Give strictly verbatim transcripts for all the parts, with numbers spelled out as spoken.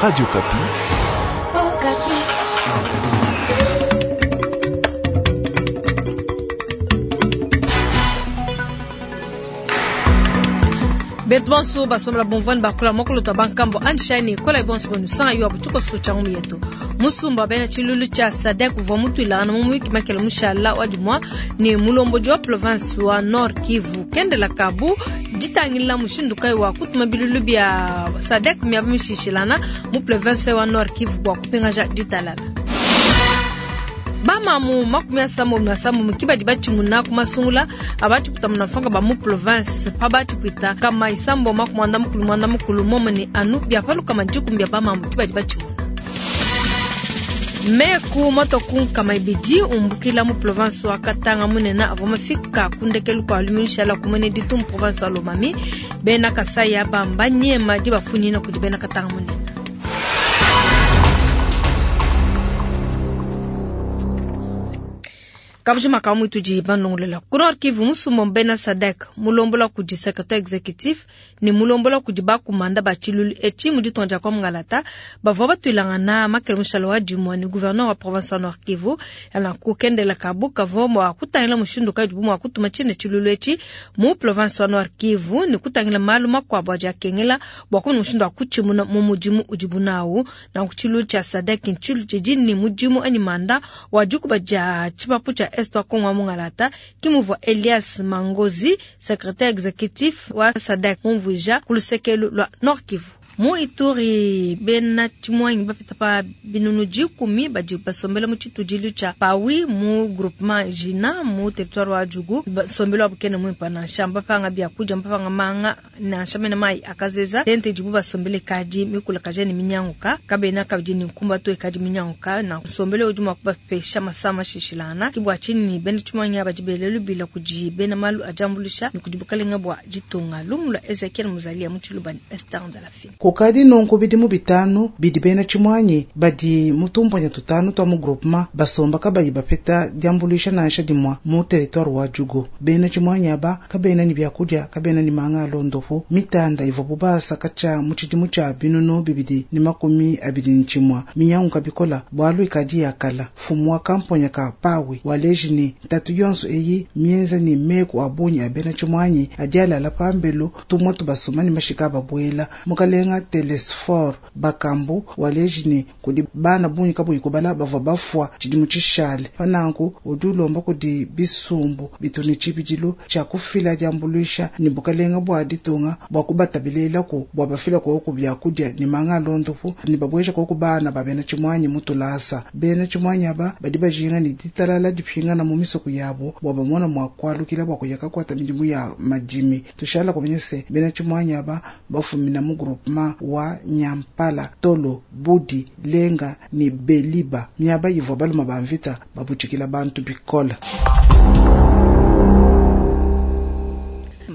Radio Okapi. Betu bonso basomela bomvwani bakula mokolo bankambo anshani kola bonso bonu sanga yo abutuko so changu yetu musumba bena chilulu cha SADC uvwa mutuilana mu mwiki makela mushala wa dimwa ni mulombo wa province wa Nord Kivu kendela kabu ditangila mushindu kai wa kutuma bilulu bya SADC miaba mishishilana mu province wa Nord Kivu bwa kupingaja ditalala. Bamamu makumi asambo na sambo mukibadi bachimuna kumasungula abati kutamuna mfanga ba mu province pa bati kuita kama isambo makumanda mukulu mwanda mukulu momene anu byapaluka majiku mbya bamamu kibadi bachimuna. Meku moto kama ibidi umbukila mu province wa Katanga munena avomafika kundekelu kwa luminshala kumene ditu mu province wa Lomami bena Kasai bamba nyema di bafunyina kudi bena Katanga munena. Kabujima kamu tuji banongolela. Ku Nord Kivu musumba bena SADC mulombola kudi secrétaire exécutif ni mulombola kudi bakumanda ba chilulu echi mudi tonja kwa ngalata bavwa batwilangana makele mushalo wa dimwa ni gouverneur wa province wa Nord Kivu ala kukendela kabu kavo mwa kutangila mushindu ka jubu mwa kutuma chine chilulu echi mu province wa Nord Kivu ni kutangila malu makwabo aja kengela bwa kumuna mushindu wa kuchimuna mu mudimu ujibunawu na kuchilulu cha SADC nchilu jijini mudimu ani manda wa jukuba ja chipapu cha Est wa Kongo mungalata kimuvwa Elias Mangozi secrétaire exécutif wa SADC mumvuja kulusekelu lwa Nord Kivu. Mu Ituri bena chimwanyi bapita pa binunu jikumi badi basombela mu chitudilu cha Pawi mu groupement Jina mu territoire wa Djugu basombela bukene mwimpa na shamba panga bya kuja mpanga manga na shamena mai akazeza tente jibu basombele kadi mikula kajeni minyanguka kabena kabidi ni nkumba to kadi minyanguka na sombele ujuma kubapesha masama shishilana kibwa chini bena chimwanyi abajibelelu bila kuji bena malu ajambulisha ni kujibukalenga bwa jitunga lumula Ezekiel Muzalia muchilubani Esther Ndalafin. Kukadi nongo bidimu bitanu bidi bena chimwanyi badi mutumponya tutanu twa mu groupement basomba kabayi bapeta diambulisha nansha dimwa mu territoire wa Djugu. Bena chimwanyi aba kabena ni byakulya kabena ni manga alondofu mitanda ivo bubasa kacha mu chidimu cha binunu bibidi ni makumi abidi ni chimwa minyangu kabikola bwalu ikadi yakala fumu wa kamponya ka pawi waleji ni tatu yonso eyi mienza ni meku abunyi abena chimwanyi adialala pambelu tumwa tubasoma ni mashika babwela mukalenga Telesfor bakambu walejini kudi bana bunyi kabuyi kubala bava bafwa chidimu chishale pananku udi ulomba kudi bisumbu bituni chibidilu cha kufila diambulisha ni bukalenga bwa ditunga bwa kubatabililaku bwa bafila koku byakulya ni manga alondofu ni babwesha koku bana babena chimwanyi mutulasa bena chimwanyi aba badi bajinga ni ditalala dipingana mu misoko yabo bwa bamona mwa kwalukila bwa kuyaka kwata midimu ya madimi tushala kumenyese bena chimwanyi aba bafumina mu groupement wa Nyampala, Tolo, Budi, Lenga ni Beliba miaba yivwa baluma bamvita babuchikila bantu bikola.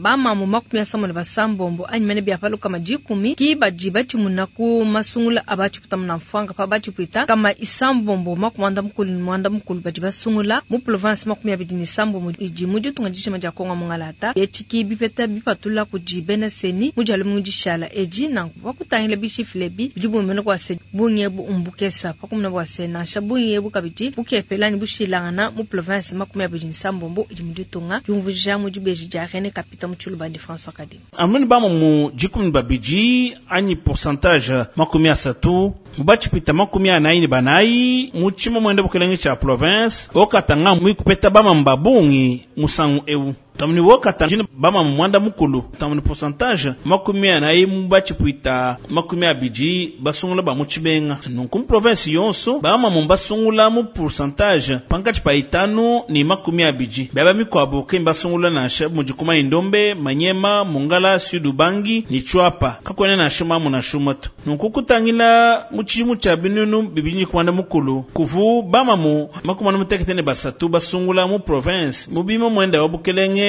Bamamu makumi asambo na basambombo anyimene byapaluka majikumi ki baji bachimuna ku masungula abachiputa muna mfwanga pa bachipwita kama isambombo makumanda mukulu ni mwanda mukulu baji basungula mu province makumi abidi ni sambombo iji mu ditunga dishima dia Kongo mungalata yechiki bipeta bipatula kuji bena seni mujalo mujishala eji nanku bakutangila bishifile bi bidi bumene kwa se bunyebu umbukesa pakumuna bwa se nansha bunyebu kabidi bukepela ni bushilangana mu province makumi abidi ni sambombo iji mu ditunga jumvuja mu dibeji dia René Kapita Chulubandi François Kadim. Amuni bama mu jikumi babiji anyi pourcentage makumi asatu mubachipita makumi anayi ni banayi muchimo mwende bukelenge cha province okatanga mwikupeta bama mbabungi musangu ewu tamuni wokata jini bama mwanda mukulu tamuni pourcentage makumi anayi mubachipita makumi abiji basungula ba muchibenga nunku mu province yonso bama mumbasungula mu pourcentage pankachi pa itanu ni makumi abiji baba mikwabo ke mbasungula nansha mujikuma indombe manyema mungala sud ubangi ni chwapa kakwene na shuma muna shumato nunku kutangila muchimu cha binunu bibinyi kwanda mukulu kuvu bama mu makumi anu mutekete ne basatu basungula mu province mubima mwenda wa bukelenge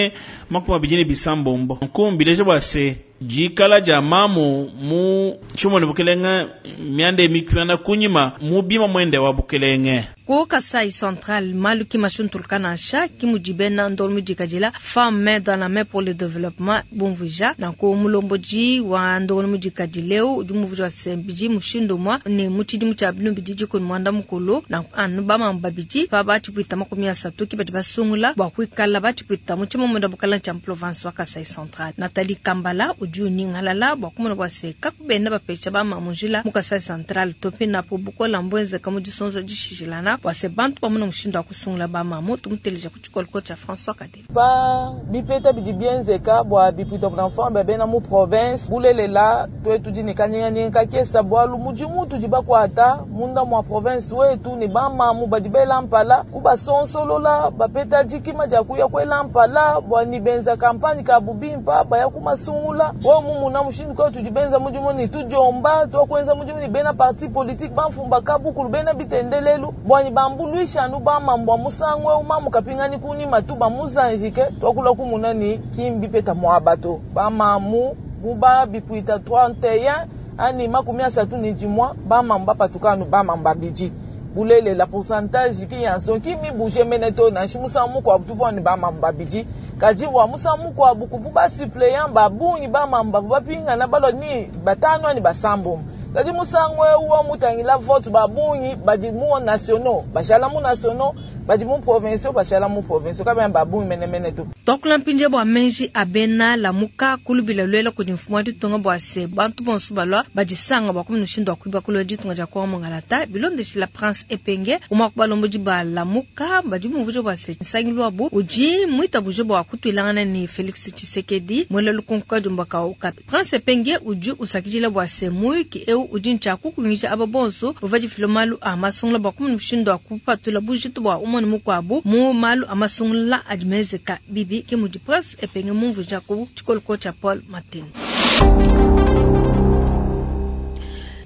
makumi abiji ni bisambombo nkumbi leje bwase dikala dia mamu mu tshimone bukelenge mianda emikiana kunyima mu bima mwende wa bukelenge. Ku Kasai Central malu ki mashuntuluka nansha ki mudi bena ndongo mudikadila Femme Main dans la Main pour le Développement bumvuija nanku mulombodi wa ndongo mudikadileu udi mumvuija wa sembidi mushindu umue ne mu tshidimu tshia binu bidi dikumi muanda mukulu nanku anu bamamu babidi pa batshipwita makumi asatu ki badi basungula bua kuikala batshipwita mu tshimomunda bukalenge tshia province wa Kasai Central. Nathalie Kambala udi unyingalala bua kumona bua se kakubena bapesha bamamu njila mu Kasai Central tope napo bukola mbwenzeka mu disonzo dishishilana bua se bantu bamona mushindu wa kusungula bamamu tumuteleja ku tshikoloko tshia François Kadele. Pa bipeta bidi bienzeka bua bipwita buna bena mu province bulelela twetu dini kanyinga kakesa bwalu mudimu tudi bakwata munda mwa province wetu ni bamamu badi bela mpala kubasonsolola bapeta dikima dia kuya kwela mpala bua ni benza kampani ka bubimpa baya kumasungula wo mumuna mushindu kwa tudi benza mudimu ni tudiomba twakwenza mudimu ni bena parti politique bamfumba kabukulu bena bitendelelu bua ni bambuluisha anu bamambu musangu umamu kapingani kuni matuba muzanjike twakula kumuna ni kimbi peta mwabato bamamu buba bipwita trente et un ani makumi asatu ni dimwa bamambu bapatukanu bamambu babidi bulele la pourcentage ki yanso ki mi bouger meneto na shimusa kwa tuvwa ni bamambu babidi kadi wa musamu kwa bukuvu ba suppléant babungi bamambu bapinga na balo ni batano ni basambo kadi musangwe wa mutangila vote babungi badi mu nationaux bashala mu nationaux badi mu provinciaux bashala mu provinciaux kabya babungi mene mene tu tokula mpinje bwa menji abena lamuka kulubila lwela kudi mfumu wa ditunga bua se bantu bonso balwa badisanga bua kumuna mushindu wa kuiba kulwa ditunga dia kwa mongalata bilondeshila Prince Epenge umwa kubalombodi ba lamuka badi mumvujo bua se nsangilu wabu udi mwitabuje bua kutuilangana ni Felix Tshisekedi mwela lukonko dimbaka ukapi Prince Epenge udi usakidila bua se muyuki eu udi ntshaku kunyisha aba bonso bava difila malu a masungula bua kumuna mushindu wa kupatula bujitu bua umone mukwabu mu malu a masungula adi mezeka bibi ke mudi Prince Epenge mumvuja ku tshikoloko tshia Paul Matene.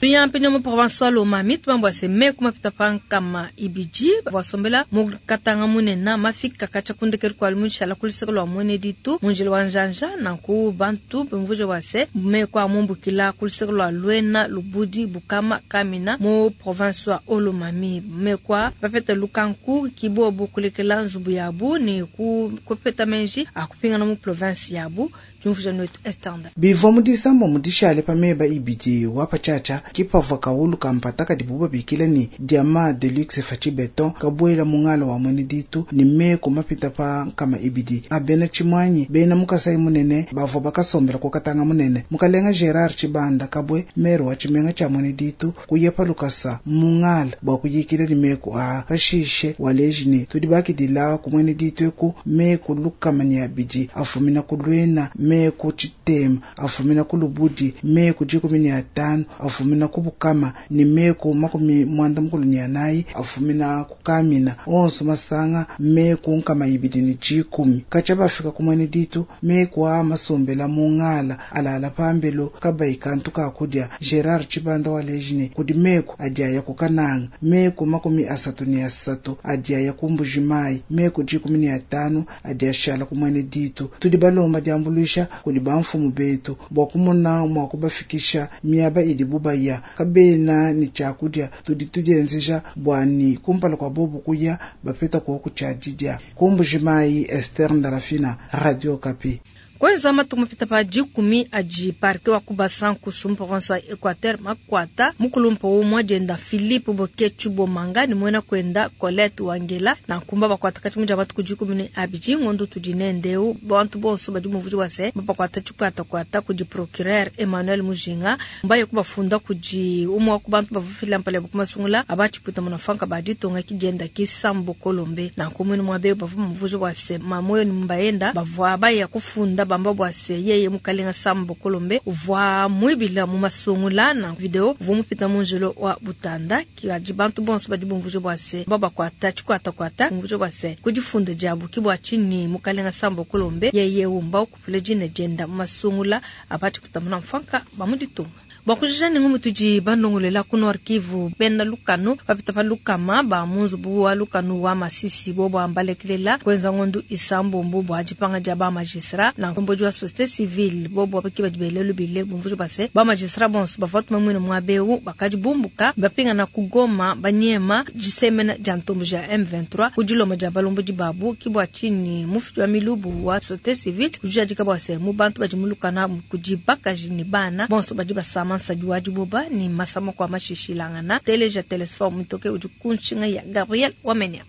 Tuyampenya mu province wa Lomami tubambwa se meku mapita pankama ibidi vasombela mu katanga munene mafika kacha kundekelu kwa lumushala kuliseka lwa mwene ditu munjila wa njanja nanku bantu bimvuje wa se meku amumbukila kuliseka lwa Lwena Lubudi Bukama Kamina mu province wa Lomami mekwa bapeta lukanku kibobu kulekela nzubu yabu ni ku kupeta menji akupingana mu province yabu tumvuje netu estanda bivwa mudisamba mudishale pameba ibidi wapachacha kipavwa kaulu kampata kadibu babikila ni diama de luxe fachi beton kabwela mungala wa mwene ditu ni meko mapita pa nkama ibidi abena chimwanyi bena mukasai munene bavwa bakasombela kukatanga munene mukalenga Gerard Chibanda kabwe mero wa chimenga cha mwene ditu kuyepa lukasa mungala bwa kuyikila ni meko a pashishe walejini tudi bakidila ku mwene ditu eku meko lukamani abidi afumina kulwena meko chitema afumina kulubudi meko jikumi ni atano afumina kubukama ni meko makumi mwanda mukulu ni anayi afumina kukamina onso masanga meko nkama ibidi ni jikumi kacha bafika kumwene ditu meko a masombela mungala alala pambelo kabayi kantu kakudya Gerard Chibanda walejini kudi meko adiaya kukananga meko makumi asatu ni asatu adiaya kumbujimayi meko jikumi ni atano adiashala kumwene ditu tudi balomba diambuluisha kudi bamfumu betu bwa kumona mwa kubafikisha miaba idi bubaya kabena ni chakudya tudi tudienzeja bwani kumpala kwa bobu kuya bapeta kwa kuchadidya kumbujimayi Esther Ndalafina, Radio Kapi. Kwanza matuku mapita pa dikumi adi parke wa kubasanku mu province wa Equateur makwata mukulumpa umwe dienda Philippe Bokechu Bomanga ni mwena kwenda Colette Wangela na nkumba bakwata kati muja batuku dikumi ni abidi ngondo tudi nendeu bantu bonso badi muvuji wase bakwata chikwata kwata kudi procureur Emmanuel Mujinga mbaye kubafunda kudi umwe wa kubantu bavufila mpale bukumasungula abachiputa munafanka badi tonga kidienda kisambo Kolombe na nkumwe mwabe bavu muvuji wase mamoyo ni mbaenda bavwa baya kufunda bamba bwase yeye mukalenga sambo Kolombe uvwa mwibila mu masungula na video vumupita munjilo wa butanda kiaji bantu bonso badi bumvuje bwase baba kwata chikwata kwata mvuje bwase kujifunda jabu kibwa chini mukalenga sambo Kolombe yeye umba ukupule jine jenda mu masungula abati kutamuna mfanka bamuditunga. Bua kujija ne ngumu tudi bandongolela ku Nord Kivu bena lukanu bapita pa lukama ba mu nzubu wa lukanu wa Masisi bobo ambalekelela kwenza ngondu isambombo bua dipanga dia ba magistrat na nkombodi wa société civile bobo baki badi belelu bile bumvuja base ba magistrat bonso bavua tumamwina mwabeu bakadi bumbuka bapingana ku Goma banyema disemena dia ntombo ja M vingt-trois ku diloma dia balombodi babu kibwa chini mufiti wa milubu wa société civile kujadika bwase mu bantu badi mulukana kudi bakaji ni bana bonso badi basama nsadi wa diboba ni masama kwa mashishilangana teleja telesform mitoke udi kunshinga ya Gabriel Wamenya.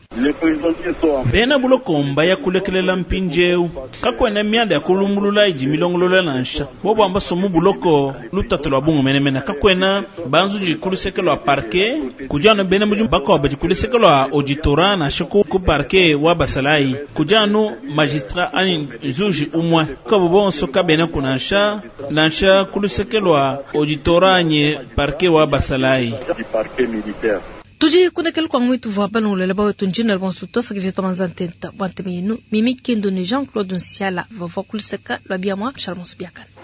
Bena bulokomba ya kulekelela mpinjeu kakwena mianda ya kulumbulula idi milongolola nansha bobo amba somu buloko lutatu lwa bungu menemene kakwena banzuji kuluseke lwa parquet kujano bena muji bakoba di kuluseke lwa auditorat nansha ku ku parquet wa basalai kujano magistrat ani zuji umwe kabo bonso kabena kunansha nansha kuluseke lwa auditorat nye parquet wa basalai. Tuji kunekele kwa mwitu vwa balongolela ba wetu njina bonso tosakije tomanza ntenta bwa nteme yenu Mimi Kendo ni Jean-Claude Nsiala vwa kuluseka lwa biamwa Charles Biakana.